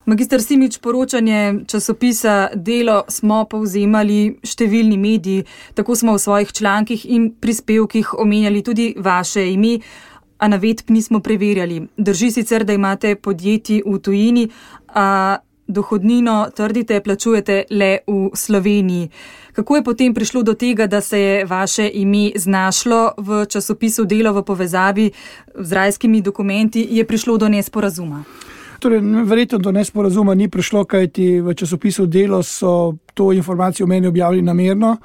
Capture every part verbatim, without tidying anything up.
Magister Simič, poročanje časopisa Delo smo povzemali številni mediji, tako smo v svojih člankih in prispevkih omenjali tudi vaše ime, a navedb nismo preverjali. Drži sicer, da imate podjetji v tujini, a dohodnino, trdite, plačujete le v Sloveniji. Kako je potem prišlo do tega, da se je vaše ime znašlo v časopisu Delo v povezavi z rajskimi dokumenti, je prišlo do nesporazuma? Torej, verjetno do nesporazuma ni prišlo, kajti v časopisu Delo so to informacijo o meni objavili namerno.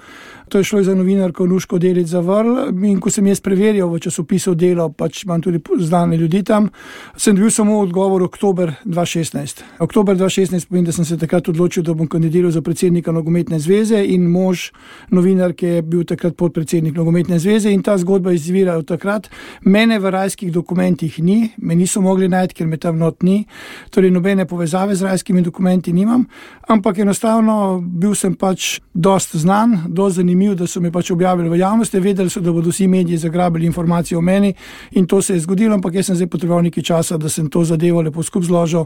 To je šlo za novinarko Nuško Delic Zavrl in ko sem jaz preverjal v časopisu Delo, pač imam tudi znane ljudi tam, sem dobil samo odgovor oktober dva šestnajst. Oktober dva šestnajst pomeni, da sem se takrat odločil, da bom kandidiral za predsednika Nogometne zveze in mož novinarke je bil takrat podpredsednik Nogometne zveze in ta zgodba izvira od takrat. Mene v rajskih dokumentih ni, me niso mogli najti, ker me tam not ni, torej nobene povezave z rajskimi dokumenti nimam, ampak enostavno bil sem pač dost znan, dost zanimiv, da so me pač objavili v javnosti, vedeli so, da bodo vsi mediji zagrabili informacije o meni in to se je zgodilo, ampak jaz sem zdaj potreboval nekaj časa, da sem to zadevo lepo skup zložil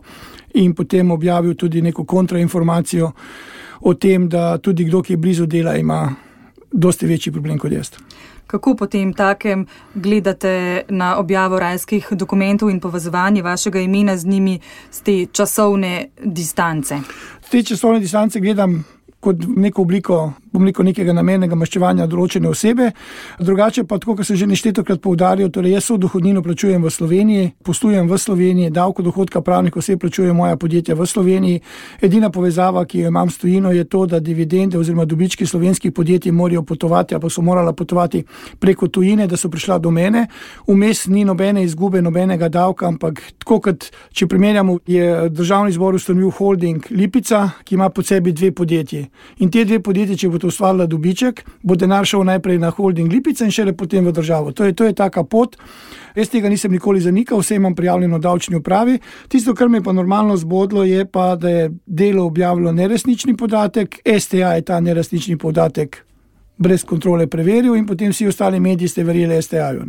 in potem objavil tudi neko kontrainformacijo o tem, da tudi kdo, ki je blizu Dela, ima dosti večji problem kot jaz. Kako potem takem gledate na objavo rajskih dokumentov in povezovanje vašega imena z njimi z te časovne distance? Te časovne distance gledam kot neko obliko, bom rekel, nekega namernega maščevanja določene osebe. Drugače pa, tako kot sem že neštetokrat poudaril, torej jaz so dohodnino plačujem v Sloveniji, poslujem v Sloveniji, davko dohodka pravnih oseb plačujem moja podjetja v Sloveniji. Edina povezava, ki jo imam s tujino, je to, da dividende oziroma dobički slovenskih podjetij morajo potovati, ali pa so morala potovati preko tujine, da so prišla do mene. Vmes ni nobene izgube, nobenega davka, ampak tako kot, če primerjamo, je Državni zbor ustanovil holding Lipica, ki ima pod sebi dve podjetji. In te dve podjetji, če bo to ustvarila dobiček, bo denar šel najprej na holding Lipica in šele potem v državo. To je, to je taka pot. Jaz tega nisem nikoli zanikal, vse imam prijavljeno v davčni upravi. Tisto, kar me pa normalno zbodlo, je pa, da je Delo objavilo neresnični podatek, S T A je ta neresnični podatek brez kontrole preveril in potem vsi ostali mediji ste verjeli S T A-ju.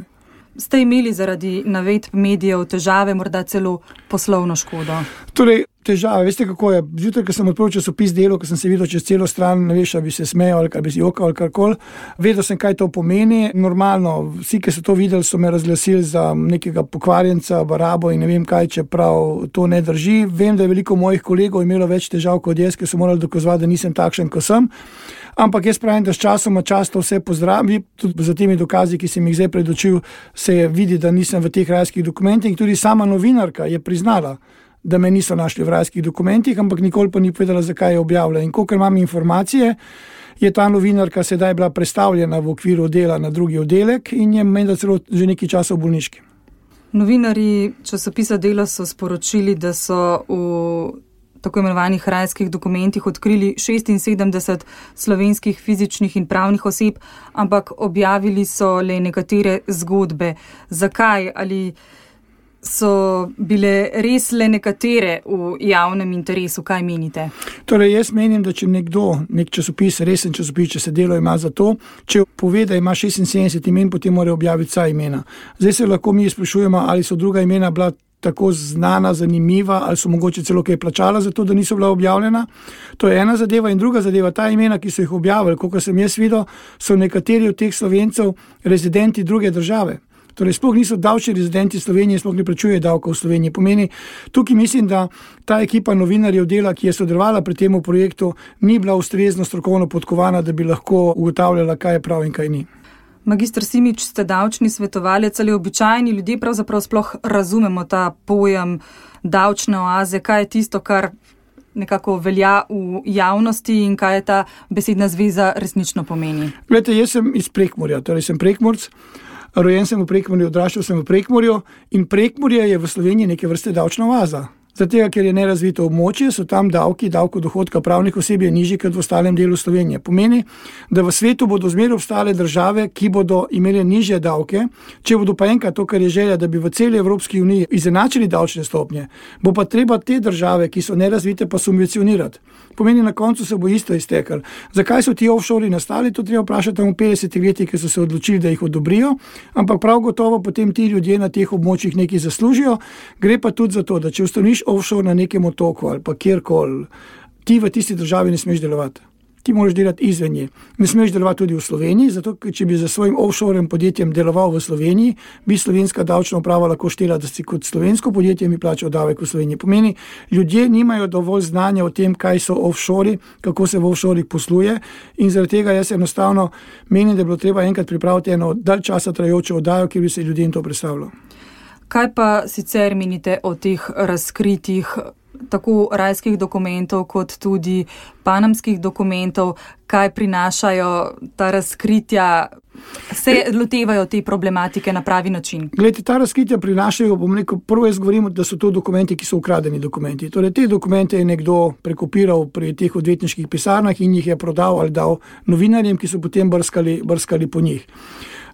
Ste imeli zaradi navedb medijev težave, morda celo poslovno škodo? Torej, težave, veste kako je, zjutraj, ko sem odprl časopis Delo, ko sem se videl čez celo stran, ne veš, ali bi se smejal ali bi si jokal ali karkoli, vedel sem, kaj to pomeni. Normalno, vsi, ki so to videli, so me razglasili za nekega pokvarjenca, barabo in ne vem kaj, čeprav to ne drži. Vem, da je veliko mojih kolegov imelo več težav kot jaz, ki so morali dokazovati, da nisem takšen, kot sem. Ampak jaz pravim, da s časoma čas to vse pozdravi, tudi za temi dokazi, ki sem jih zdaj predočil, se vidi, da nisem v teh rajskih dokumentih. Tudi sama novinarka je priznala, da me niso našli v rajskih dokumentih, ampak nikoli pa ni povedala, zakaj je objavila. In kolikor imam informacije, je ta novinarka sedaj bila prestavljena v okviru Dela na drugi oddelek in je menda celo že nekaj časa v bolniški. Novinarji časopisa Delo so sporočili, da so v tako imenovanih rajskih dokumentih odkrili šestinsedemdeset slovenskih fizičnih in pravnih oseb, ampak objavili so le nekatere zgodbe. Zakaj? Ali so bile res le nekatere v javnem interesu? Kaj menite? Torej, jaz menim, da če nekdo, nek časopis, resen časopis, če se Delo ima za to, če pove, da ima šestinsedemdeset imen, potem mora objaviti vsa imena. Zdaj se lahko mi sprašujemo, ali so druga imena bila tako znana, zanimiva, ali so mogoče celo kaj plačala za to, da niso bila objavljena. To je ena zadeva in druga zadeva, ta imena, ki so jih objavili, koliko sem jaz videl, so nekateri od teh Slovencev rezidenti druge države. Torej, sploh niso davčni rezidenti Slovenije, sploh ne plačujejo davkov v Sloveniji. Pomeni, tukaj mislim, da ta ekipa novinarjev Dela, ki je sodelovala pri tem projektu, ni bila ustrezno strokovno podkovana, da bi lahko ugotavljala, kaj je prav in kaj ni. Magister Simič, ste davčni svetovalec, ali običajni ljudje pravzaprav sploh razumemo ta pojem davčne oaze, kaj je tisto, kar nekako velja v javnosti in kaj je ta besedna zveza resnično pomeni? Glejte, jaz sem iz Prekmurja, torej sem Prekmurc, rojen sem v Prekmurju, odraščal sem v Prekmurju in Prekmurje je v Sloveniji neke vrste davčna oaza. Zato, ker je nerazvito območje, so tam davki, davko dohodka pravnih oseb je nižji kot v ostalem delu Slovenije. Pomeni, da v svetu bodo zmeraj obstale države, ki bodo imeli nižje davke, če bodo pa enkrat to, kar je želja, da bi v celi Evropski uniji izenačili davčne stopnje, bo pa treba te države, ki so nerazvite, pa subvencionirati. Pomeni, na koncu se bo isto iztekalo. Zakaj so ti offshori nastali, to treba vprašati v petdesetih letih, ki so se odločili, da jih odobrijo, ampak prav gotovo potem ti ljudje na teh območjih nekaj zaslužijo. Gre pa tudi za to, da če ustanoviš narediš offshore na nekem otoku ali pa kjerkoli, ti v tisti državi ne smeš delovati. Ti moraš delati izven nje. Ne smeš delovati tudi v Sloveniji, zato če bi za svojim offshore podjetjem deloval v Sloveniji, bi slovenska davčna uprava lahko štela, da si kot slovensko podjetje mi plačal davek v Sloveniji. Pomeni, ljudje nimajo dovolj znanja o tem, kaj so offshore, kako se v offshorih posluje, in zaradi tega jaz enostavno menim, da bi bilo treba enkrat pripraviti eno dalj časa trajajočo oddajo, kjer bi se ljudem to predstavilo. Kaj pa sicer menite o teh razkritih tako rajskih dokumentov kot tudi panamskih dokumentov, kaj prinašajo ta razkritja, se lotevajo te problematike na pravi način? Glejte, ta razkritja prinašajo, bom rekel, prvo jaz govorim, da so to dokumenti, ki so ukradeni dokumenti. Torej, te dokumente je nekdo prekopiral pri teh odvetniških pisarnah in jih je prodal ali dal novinarjem, ki so potem brskali, brskali po njih.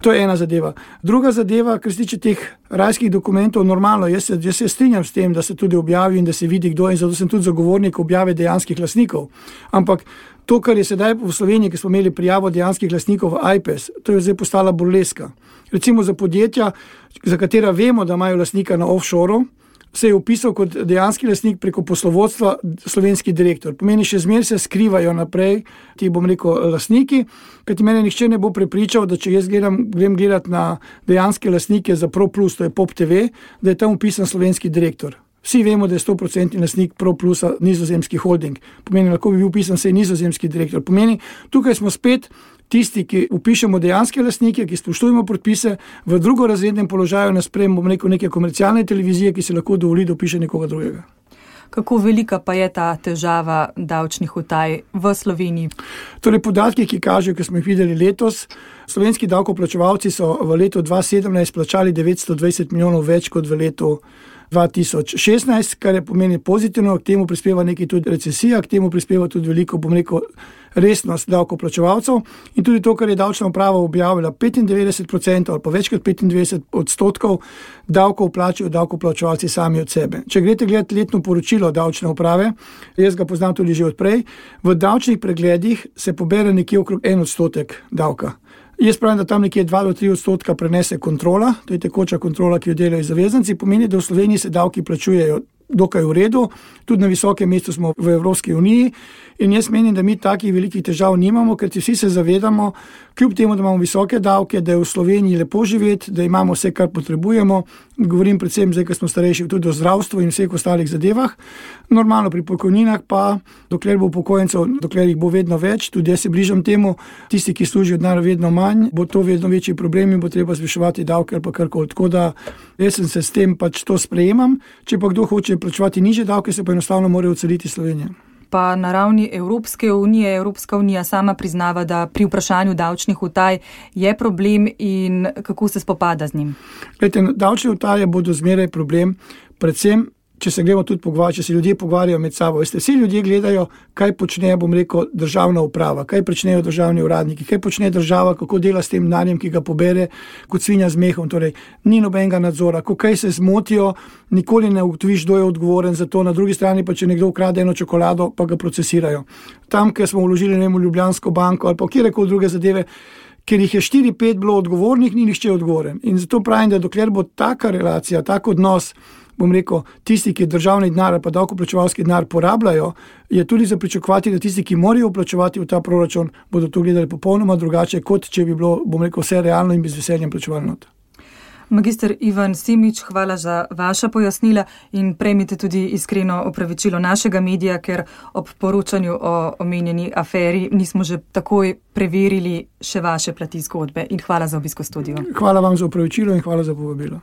To je ena zadeva. Druga zadeva, kar se tiče teh rajskih dokumentov, normalno, jaz se, jaz se strinjam s tem, da se tudi objavi in da se vidi, kdo je, in zato sem tudi zagovornik objave dejanskih lastnikov. Ampak to, kar je sedaj v Sloveniji, ki smo imeli prijavo dejanskih lastnikov v I P E S, to je zdaj postala burleska. Recimo za podjetja, za katera vemo, da imajo lastnika na offshoreu, se je upisal kot dejanski lastnik preko poslovodstva slovenski direktor. Pomeni, še zmeraj se skrivajo naprej ti, bom rekel, lastniki, kajti mene nihče ne bo prepričal, da če jaz gledam, grem gledati na dejanske lastnike za ProPlus, to je Pop T V, da je tam upisan slovenski direktor. Vsi vemo, da je sto procentov lastnik ProPlusa nizozemski holding. Pomeni, lahko bi bil upisan se nizozemski direktor. Pomeni, tukaj smo spet tisti, ki upišemo dejanske lastnike, ki spoštujemo predpise, v drugorazrednem položaju nas sprejemo, bom rekel, neke komercialne televizije, ki se lahko dovoli, da upiše nekoga drugega. Kako velika pa je ta težava davčnih utaj v Sloveniji? Torej, podatki, ki kažejo, ki smo jih videli letos, slovenski davkoplačevalci so v letu dva tisoč sedemnajst plačali devetsto dvajset milijonov več kot v letu dva tisoč šestnajst, kar je pomeni pozitivno, k temu prispeva nekaj tudi recesija, k temu prispeva tudi veliko, bom rekel, resnost davkoplačevalcev in tudi to, kar je davčna uprava objavila, petindevetdeset procentov ali pa več kot petindevetdeset odstotkov davkov plačajo davkoplačevalci sami od sebe. Če greste gledati letno poročilo davčne uprave, jaz ga poznam tudi že odprej, v davčnih pregledih se pobere nekje okrog en odstotek davka. Jaz pravim, da tam nekje dva do tri odstotka prenese kontrola, to je tekoča kontrola, ki jo delajo zavezanci, pomeni, da v Sloveniji se davki plačujejo dokaj v redu, tudi na visokem mestu smo v Evropski uniji in jaz menim, da mi takih velikih težav nimamo, ker vsi se zavedamo, kljub temu, da imamo visoke davke, da je v Sloveniji lepo živeti, da imamo vse, kar potrebujemo, govorim predvsem zdaj, ker smo starejši, tudi o zdravstvu in vseh ostalih zadevah. Normalno pri pokojninah pa, dokler bo upokojencev, dokler jih bo vedno več, tudi jaz se bližam temu, tisti, ki služijo denar vedno manj, bo to vedno večji problem in bo treba zviševati davke ali pa karkoli. Tako da jaz sem se s tem pač to sprejemam, če pa kdo hoče plačevati nižje davke, se pa enostavno morajo odseliti Slovenije. Pa na ravni Evropske unije, Evropska unija sama priznava, da pri vprašanju davčnih utaj je problem in kako se spopada z njim? Glejte, davčne utaje bodo zmeraj problem, predvsem če se gremo tudi pogovarjati, če se ljudje pogovarjajo med sabo. Veste, vsi ljudje gledajo, kaj počne, bom rekel, državna uprava, kaj počnejo državni uradniki, kaj počne država, kako dela s tem denarjem, ki ga pobere kot svinja z mehom. Torej, ni nobenega nadzora, ko kaj se zmotijo, nikoli ne ugotoviš, kdo je odgovoren za to, na drugi strani pa če nekdo ukrade eno čokolado, pa ga procesirajo. Tam, kjer smo vložili, ne vem, v Ljubljansko banko ali pa kjerkoli druge zadeve, ker jih je štiri pet bilo odgovornih, ni nihče odgovoren. In zato pravim, da dokler bo taka relacija, tak odnos, bom rekel, tisti, ki državni denar pa davkoplačevalski denar porabljajo, je tudi za pričakovati, da tisti, ki morajo plačevati v ta proračun, bodo to gledali popolnoma drugače, kot če bi bilo, bom rekel, vse realno in z veseljem plačevali not. Magister Ivan Simič, hvala za vaša pojasnila in prejmite tudi iskreno opravičilo našega medija, ker ob poročanju o omenjeni aferi nismo že takoj preverili še vaše plati zgodbe in hvala za obisk v studiu. Hvala vam za opravičilo in hvala za povabilo.